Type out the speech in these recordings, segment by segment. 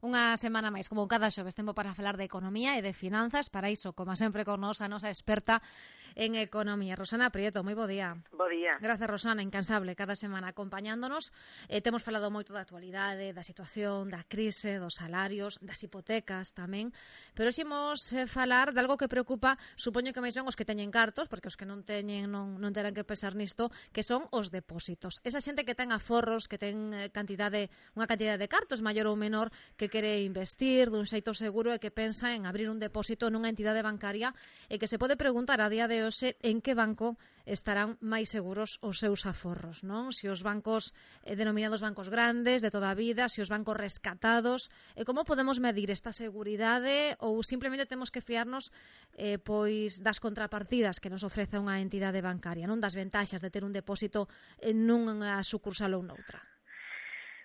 Unha semana máis, como cada xoves, tempo para falar de economía e de finanzas. Para iso, como sempre, con nos a nosa experta en economía, Rosana Prieto. Moi bo día. Bo día. Grazas, Rosana, incansable, cada semana acompañándonos. Temos falado moito da actualidade, da situación, da crise, dos salarios, das hipotecas tamén. Pero hoxe imos falar de algo que preocupa, supoño que máis ben os que teñen cartos, porque os que non teñen non terán que pensar nisto, que son os depósitos. Esa xente que ten aforros, que ten unha cantidade de cartos maior ou menor, que quere investir dun xeito seguro e que pensa en abrir un depósito nunha entidade bancaria e que se pode preguntar a día de hoxe en que banco estarán máis seguros os seus aforros, non? Se os bancos denominados bancos grandes de toda a vida, se os bancos rescatados, e como podemos medir esta seguridade ou simplemente temos que fiarnos pois das contrapartidas que nos ofrece unha entidade bancaria, non das ventaxas de ter un depósito nunha sucursal ou noutra.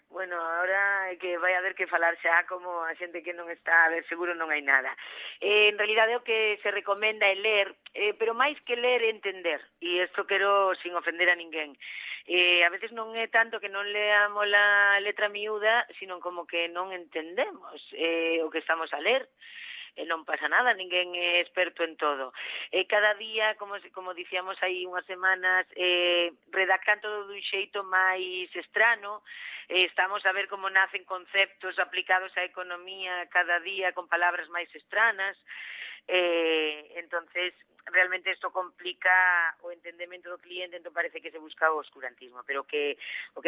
Bueno, ahora é que vai haber que falar xa como a xente que non está, a ver, seguro non hai nada. En realidade o que se recomenda é ler, pero máis que ler é entender, e isto quero sin ofender a ninguén. A veces non é tanto que non leamos a letra miúda, sino como que non entendemos o que estamos a ler. Non pasa nada, ninguén é experto en todo. Cada día, como dicíamos hai unhas semanas, redactan todo dun xeito máis estrano. Estamos a ver como nacen conceptos aplicados á economía cada día con palabras máis estranas. Entonces, realmente isto complica o entendemento do cliente, entón parece que se busca o oscurantismo, pero o que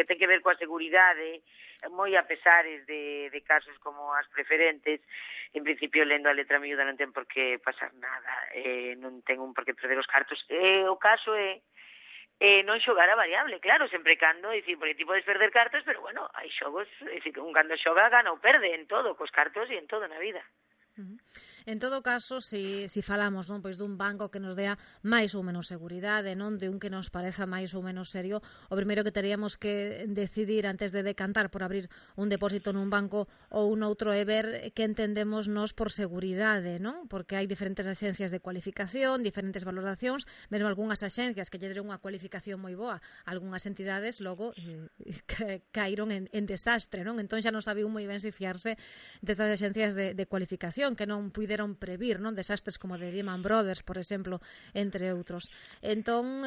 ten que ver coa seguridade, moi a pesares de casos como as preferentes, en principio lendo a letra miúda non ten por que pasar nada, non ten un por que perder os cartos. O caso é non xogar a variable, claro, sempre cando, é dicir, porque ti podes perder cartos, pero bueno, hai xogos, é dicir, un cando xoga gana ou perde en todo, cos cartos e en todo na vida. En todo caso, si falamos non pois dun banco que nos dea máis ou menos seguridade, non de un que nos pareza máis ou menos serio, o primeiro que teríamos que decidir antes de decantar por abrir un depósito nun banco ou un outro é ver que entendemos nos por seguridade, non? Porque hai diferentes axencias de cualificación, diferentes valoracións, mesmo algunhas axencias que lle deron unha cualificación moi boa, algunhas entidades logo caíron en desastre, non? Entón xa non sabiu moi ben se fiarse destas axencias de cualificación que non puideron previr, non, desastres como de Lehman Brothers, por exemplo, entre outros. Entón,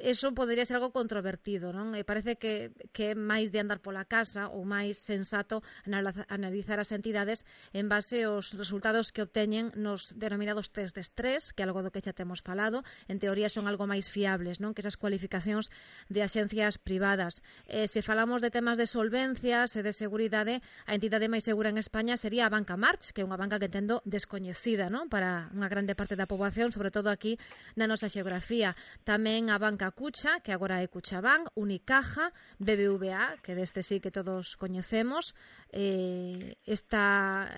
eso podería ser algo controvertido, non? E parece que é máis de andar pola casa ou máis sensato analizar as entidades en base aos resultados que obteñen nos denominados test de estrés, que é algo do que xa temos falado, en teoría son algo máis fiables, non? Que esas cualificacións de axencias privadas. Se falamos de temas de solvencias e de seguridade, a entidade máis segura en España sería a Banca March, que é unha banca que entendo descoñecida, non? Para unha grande parte da poboación, sobre todo aquí na nosa xeografía. Tamén a Banca Cucha, que agora é Cuchabank, Unicaja, BBVA, que deste sí que todos coñecemos, esta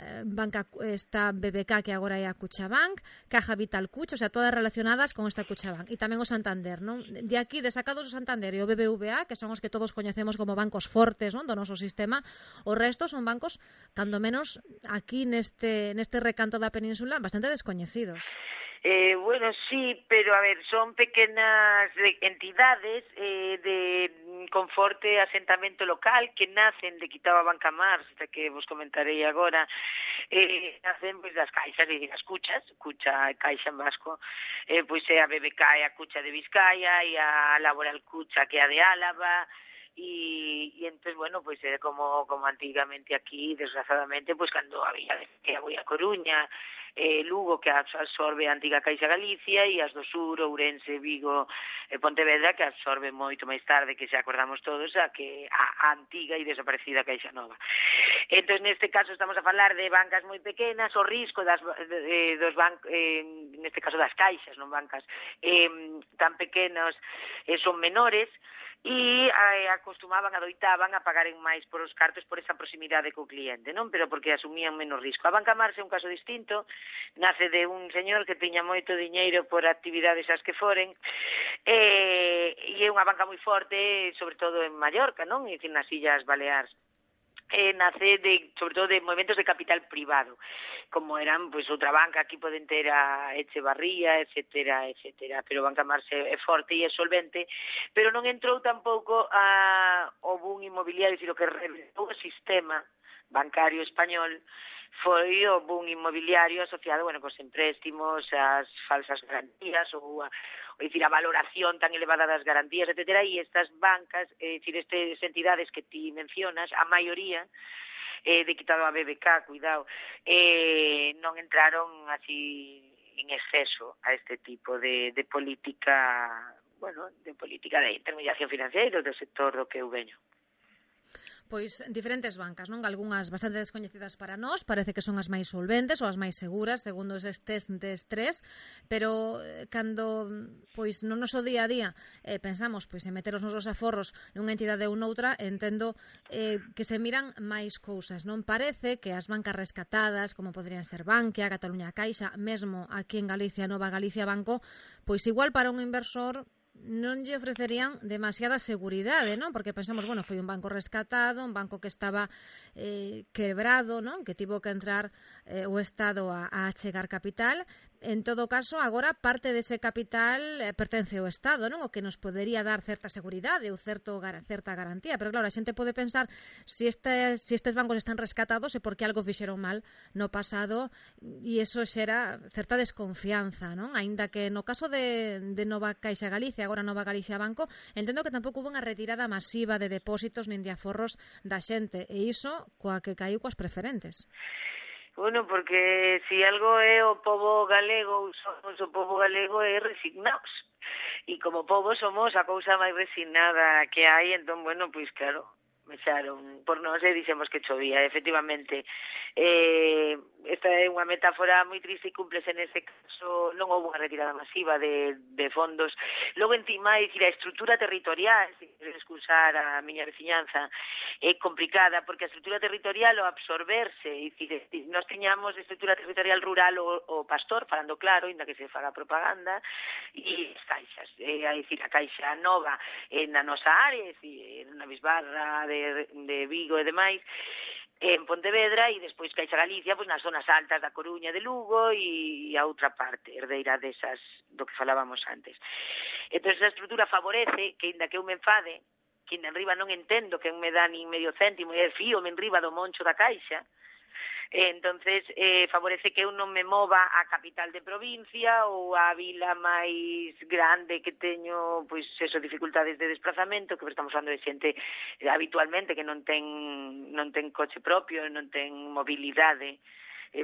BBK, que agora é a Cuchabank, Caja Vital Cucha, o sea, todas relacionadas con esta Cuchabank. E tamén o Santander, non? De aquí, desacados o Santander e o BBVA, que son os que todos coñecemos como bancos fortes, non, do noso sistema, o resto son bancos, cando menos aquí neste recanto da península, bastante descoñecidos. Bueno, sí, pero a ver, son pequenas entidades con forte asentamento local que nacen de quitaba Banca March, que vos comentarei agora, nacen pois das caixas, e as cuchas, Cucha e Caixa en vasco, pois é a BBK e a Cucha de Vizcaya e a Laboral Cucha que é a de Álava, e entón, bueno, pois é como antigamente aquí, desgraciadamente, pois cando había que a Coruña, Lugo, que absorbe a antiga Caixa Galicia, e as do sur, Ourense, Vigo e Pontevedra, que absorbe moito máis tarde, que xa acordamos todos, a antiga e desaparecida Caixa Nova. Entón, neste caso, estamos a falar de bancas moi pequenas, o risco dos bancos, neste caso das caixas, non bancas, tan pequenos, son menores, e adoitaban a pagaren máis por os cartos por esa proximidade co cliente, non? Pero porque asumían menos risco. A Banca March é un caso distinto, nace de un señor que tiña moito diñeiro por actividades as que foren, e é unha banca moi forte, sobre todo en Mallorca, non? E nas Illas Baleares. Nace sobre todo de movimentos de capital privado, como eran pois outra banca, aquí poden ter a Echevarría, etcétera, pero Banca March é forte e é solvente, pero non entrou tampouco o boom inmobiliario, sino que reventou o sistema bancario español foi o boom inmobiliario asociado, cos empréstimos, as falsas garantías ou a valoración tan elevada das garantías, etcétera, e estas bancas, estas entidades que ti mencionas, a maioría, de quitado a BBK, cuidado, non entraron así en exceso a este tipo de política, de política de intermediación financiera do sector do que eu veño. Pois diferentes bancas, non? Algúnas bastante descoñecidas para nós, parece que son as máis solventes ou as máis seguras, segundo eses test de estrés, pero cando pois no noso día a día pensamos pois en meter os nosos aforros nunha entidade ou noutra, entendo que se miran máis cousas, non? Parece que as bancas rescatadas, como poderían ser Bankia, Cataluña Caixa, mesmo aquí en Galicia, Nova Galicia Banco, pois igual para un inversor non lle ofrecerían demasiada seguridade, non? Porque pensamos, foi un banco rescatado, un banco que estaba quebrado, non? Que tivo que entrar o Estado a achegar capital. En todo caso, agora parte dese capital pertence ao Estado, non? O que nos podería dar certa seguridade ou certa garantía. Pero claro, a xente pode pensar se estes bancos están rescatados é porque algo fixeron mal no pasado e iso xera certa desconfianza, non? Aínda que no caso de Nova Caixa Galicia, agora Nova Galicia Banco, entendo que tampouco hubo unha retirada masiva de depósitos nin de aforros da xente, e iso coa que caiu coas preferentes. Porque si algo é o pobo galego, somos o pobo galego é resignados. E como pobo somos a cousa máis resignada que hai, entón, pois claro, mexaron por nós e dixemos que chovía, efectivamente. Esta é unha metáfora moi triste e cúmplese nese caso, non houve unha retirada masiva de fondos. Logo, encima, a estrutura territorial, se queres excusar a miña veciñanza, é complicada, porque a estrutura territorial o absorberse, nós teñamos estrutura territorial rural o pastor, falando claro, inda que se faga propaganda, e as caixas, a caixa nova na nosa área, na Bisbarra de Vigo e demais, en Pontevedra, e despois Caixa Galicia nas zonas altas da Coruña, de Lugo e a outra parte, herdeira desas do que falábamos antes. Entón, esa estrutura favorece que, inda que eu me enfade, que inda enriba non entendo que me dá nin medio céntimo e fío-me enriba do moncho da Caixa, entonces favorece que eu non me mova a capital de provincia ou a vila máis grande que teño, pois eso, dificultades de desplazamento, que estamos falando de xente habitualmente que non ten coche propio, non ten mobilidade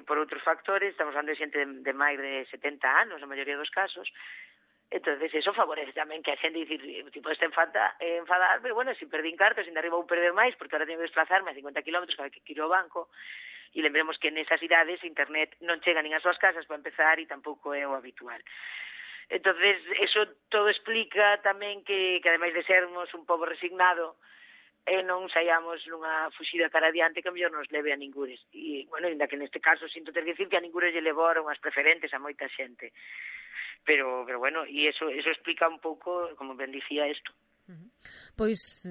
por outros factores, estamos falando de xente de máis de 70 anos, na maioría dos casos. Entonces, eso favorece tamén que a xente dicir, tipo, este enfadar, pero se perdín cartos, ainda arriba vou perder máis, porque ahora teño que desplazarme a 50 kilómetros cada que quiro o banco, e lembremos que nesas idades internet non chega nin ás súas casas para empezar e tampouco é o habitual. Entonces, eso todo explica tamén que ademais de sermos un pobo resignado, non saiamos nunha fuxida cara adiante que mellor nos leve a ningures. E, ainda que neste caso sinto ter que dicir que a ningures lle levaron as preferentes a moita xente. Pero e eso explica un pouco, como ben dicía, isto. Pois,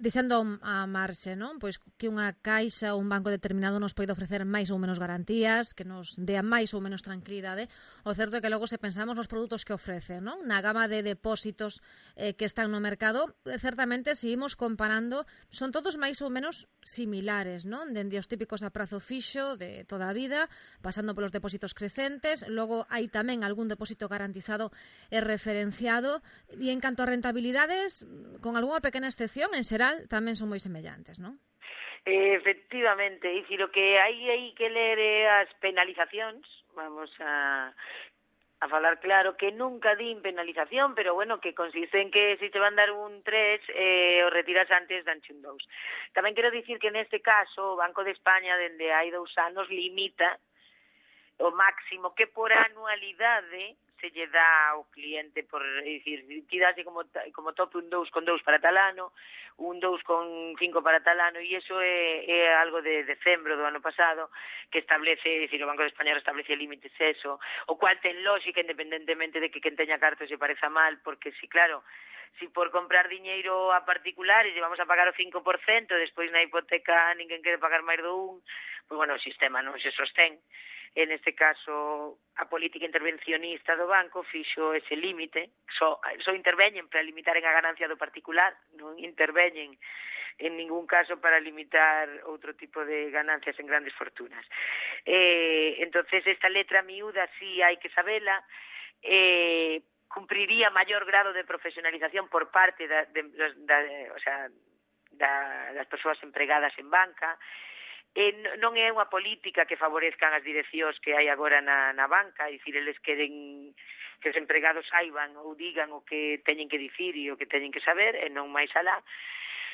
deixando a marxe, non? Pois que unha caixa ou un banco determinado nos pode ofrecer máis ou menos garantías, que nos dea máis ou menos tranquilidade. O certo é que logo se pensamos nos produtos que ofrece, non? Na gama de depósitos que están no mercado, certamente, se imos comparando, son todos máis ou menos similares, non? Dende os típicos a prazo fixo de toda a vida, pasando polos depósitos crecentes, logo hai tamén algún depósito garantizado e referenciado, e en canto a rentabilidades, con algunha pequena excepción, en xeral tamén son moi semellantes, non? Efectivamente, é dicir, o que hai que ler as penalizacións, vamos a falar claro, que nunca din penalización, pero que consiste en que se te van dar un 3, o retiras antes danche un 2. Tamén quero dicir que neste caso o Banco de España dende hai 2 anos limita o máximo que por anualidade se lle dá ao cliente, por dicir, ti dase como tope un 2,2 para tal ano, un 2,5 para tal ano, e iso é algo de decembro do ano pasado, que establece, dicir, o Banco de España establece límites eso, o cual ten lógica independentemente de que quen teña cartos se pareza mal, porque si, claro, si por comprar diñeiro a particulares e vamos a pagar o 5%, despois na hipoteca ninguén quere pagar máis do 1%, pois o sistema non se sostén. En este caso, a política intervencionista do banco fixo ese límite, só interveñen para limitar a ganancia do particular, non interveñen en ningún caso para limitar outro tipo de ganancias en grandes fortunas. Entonces esta letra miúda sí hai que sabela, cumpriría maior grado de profesionalización por parte das persoas empregadas en banca. Non é unha política que favorezcan as direccións que hai agora na banca, é dicir, eles queren que os empregados saiban ou digan o que teñen que dicir e o que teñen que saber, e non máis alá.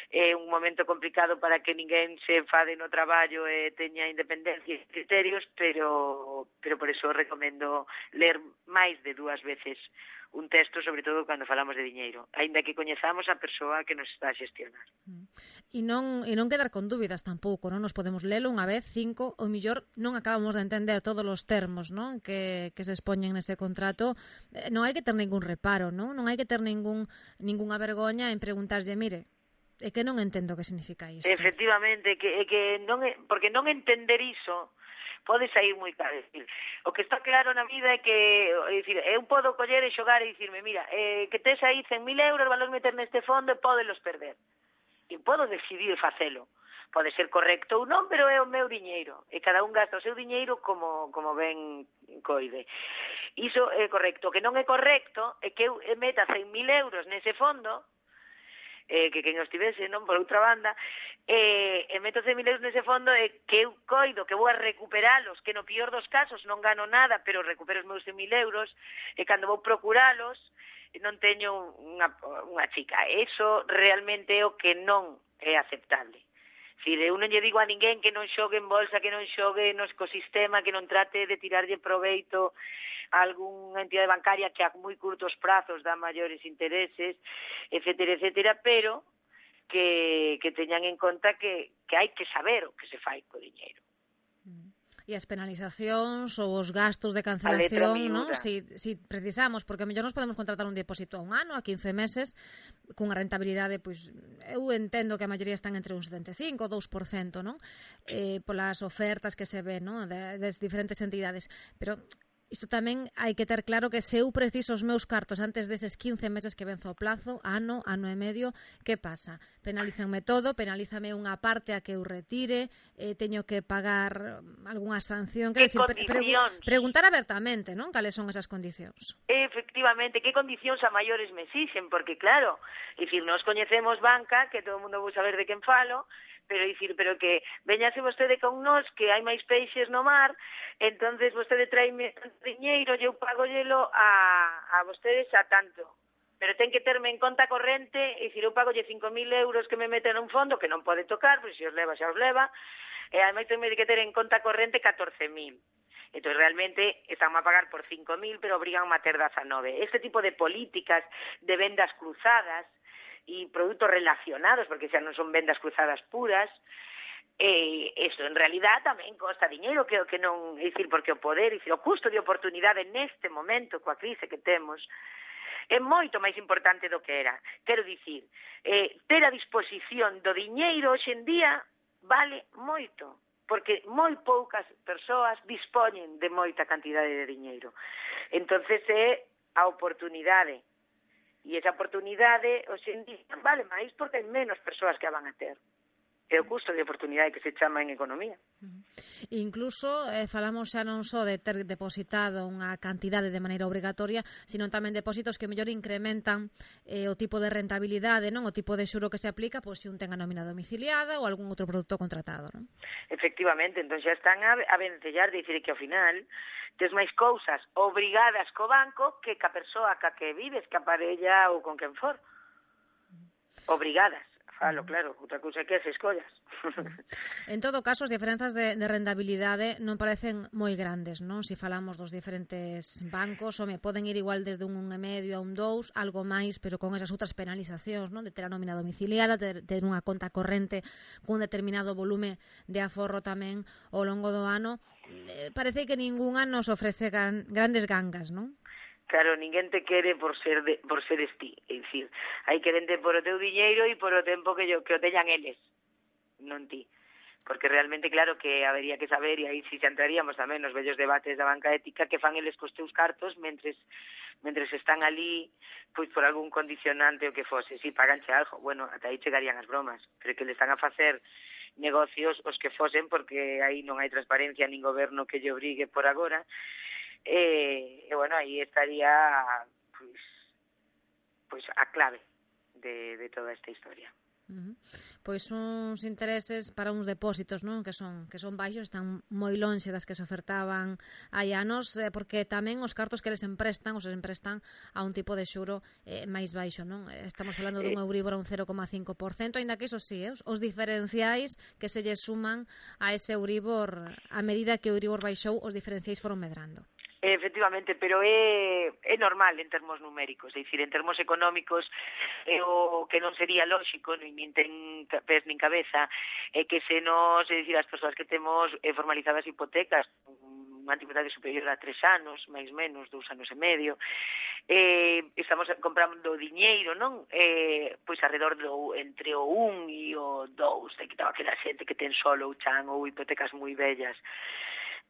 É un momento complicado para que ninguén se enfade no traballo e teña independencia e criterios, pero por eso recomendo ler máis de 2 veces un texto, sobre todo cando falamos de diñeiro, aínda que coñezamos a persoa que nos está a xestionar. E non quedar con dúbidas tampouco, non? Nos podemos lelo unha vez, 5, ou mellor non acabamos de entender todos os termos, non? Que se expoñen nese contrato. Non hai que ter ningún reparo, non? Non hai que ter ningunha vergoña en preguntarlle, mire, é que non entendo o que significa isto. Efectivamente, que non é, porque non entender iso pode sair moi caro. O que está claro na vida é que, eu podo coller e xogar e dicirme, mira, que tes aí 100.000 euros, valor meter neste fondo e podelos perder. E podo decidir facelo. Pode ser correcto ou non, pero é o meu diñeiro. E cada un gasta o seu diñeiro como ben coide. Iso é correcto. O que non é correcto é que eu meta 100.000 euros nese fondo, que quen os tivese, non, por outra banda, e meto 100.000 euros nese fondo e que eu coido que vou a recuperalos, que no pior dos casos non gano nada, pero recupero os meus 100.000 euros, e cando vou procuralos non teño unha chica. Eso realmente é o que non é aceptable. Eu non lle digo a ninguén que non xogue en bolsa, que non xogue no ecosistema, que non trate de tirarlle proveito a algunha entidade bancaria que a moi curtos prazos dá maiores intereses, etcétera, pero que teñan en conta que hai que saber o que se fai co diñeiro. E as penalizacións ou os gastos de cancelación, non? Si precisamos, porque a mellor nos podemos contratar un depósito a 1 ano, a 15 meses, cunha rentabilidade, pois, eu entendo que a maioría están entre un 75 ou 2%, non? Polas ofertas que se ven, non? Das diferentes entidades, pero isto tamén hai que ter claro que se eu preciso os meus cartos antes deses 15 meses que venzo o plazo, ano e medio, que pasa? Penalízanme todo, penalízame unha parte a que eu retire, teño que pagar algunha sanción. Que condicións? Preguntar abertamente, non? Cales son esas condicións? Efectivamente, que condicións a maiores me exixen, porque claro, nós coñecemos banca, que todo o mundo vou saber de quen falo, pero que veñase vostede con nós, que hai máis peixes no mar, entonces vostede traime diñeiro e eu pagollelo a vostedes a tanto. Pero ten que terme en conta corrente, eu pagolle 5.000 euros que me meten nun fondo, que non pode tocar, pois se os leva, xa os leva, e ademais ten que ter en conta corrente 14.000. Entón, realmente, están a pagar por 5.000, pero obrigan a ter 19. Este tipo de políticas de vendas cruzadas e produtos relacionados, porque xa non son vendas cruzadas puras, eso en realidad tamén costa diñeiro, que non, porque o poder, o custo de oportunidade neste momento, coa crise que temos, é moito máis importante do que era. Quero dicir, ter a disposición do diñeiro hoxe en día vale moito, porque moi poucas persoas dispoñen de moita cantidade de diñeiro. Entonces é a oportunidade. E esa oportunidade, hoxe en día, vale máis porque hai menos persoas que a van a ter. É o custo de oportunidade que se chama en economía. Incluso falamos xa non só de ter depositado unha cantidade de maneira obrigatoria, sino tamén depósitos que mellor incrementan o tipo de rentabilidade, non? O tipo de xuro que se aplica, pois se un ten a nómina domiciliada ou algún outro produto contratado, non? Efectivamente, entón xa están a vencellar, de dicir que ao final tes máis cousas obrigadas co banco que ca persoa ca que vives, ca parella ou con quen for. Obrigadas. Falo, claro, outra cousa é que se escollas. En todo caso, as diferenzas de rentabilidade non parecen moi grandes, non? Se falamos dos diferentes bancos, poden ir igual desde un 1,5 a un 2, algo máis, pero con esas outras penalizacións, non? De ter a nómina domiciliada, ter unha conta corrente cun determinado volume de aforro tamén ao longo do ano. Parece que ningunha nos ofrece grandes gangas, non? Claro, ninguén te quere por seres ti, é dicir, hai que vender por o teu diñeiro e por o tempo que o teñan eles, non ti. porque realmente claro que habería que saber, e aí si xa entraríamos tamén nos vellos debates da banca ética, que fan eles cos teus cartos mentres están ali, pois por algún condicionante o que fose, si paganche algo, bueno, ata aí chegarían as bromas, pero que le están a facer negocios os que fosen, porque aí non hai transparencia nin goberno que lle obrigue por agora, e bueno, aí estaría pois a clave de toda esta historia. Pois uns intereses para uns depósitos, non, que son baixos, están moi lonxe das que se ofertaban hai anos, porque tamén os cartos que les emprestan a un tipo de xuro máis baixo, non? Estamos falando dun Euribor a un 0,5%, aínda que iso sí, os diferenciais que se lle suman a ese Euribor, a medida que o Euribor baixou, os diferenciais foron medrando. Efectivamente, pero é normal en termos numéricos, é dicir, en termos económicos o que non sería lóxico, nin ten pés nin cabeza, é que se nos, é dicir, as persoas que temos formalizadas hipotecas, unha antigüedade superior a 3 anos, máis menos, 2 anos e medio, estamos comprando diñeiro, non? Pois alrededor entre o 1 e o 2, te quitaba aquela xente que ten solo o chan ou hipotecas moi bellas.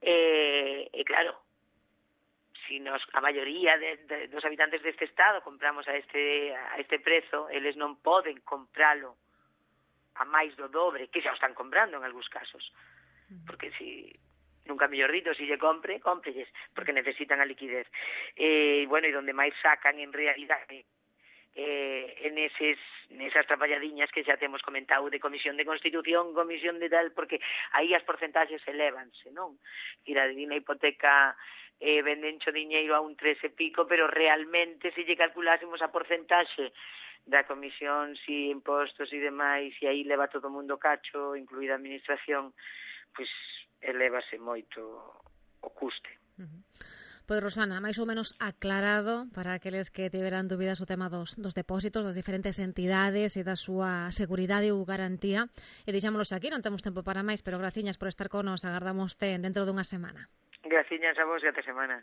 E claro, si a maioría dos habitantes deste estado compramos a este prezo, eles non poden compralo a máis do dobre, que xa o están comprando en algúns casos. Porque nunca mellor dito, si lle cómprelles, porque necesitan a liquidez. Bueno, e donde máis sacan en realidade en esas traballadiñas que xa temos comentado de comisión de constitución, comisión de tal, porque aí as porcentaxes elevanse, non? Ir a unha hipoteca vendencho diñeiro a un 3 e pico, pero realmente se lle calculásemos a porcentaxe da comisión, si impostos e demais, e aí leva todo o mundo cacho, incluída a administración, pois elevase moito o custe. Pois, Rosana, máis ou menos aclarado para aqueles que tiveran dúbidas o tema dos depósitos, das diferentes entidades e da súa seguridade ou garantía. E deixámonos aquí, non temos tempo para máis, pero graciñas por estar con nos, agardamos dentro dunha semana. Graciñas a vos e ata semana.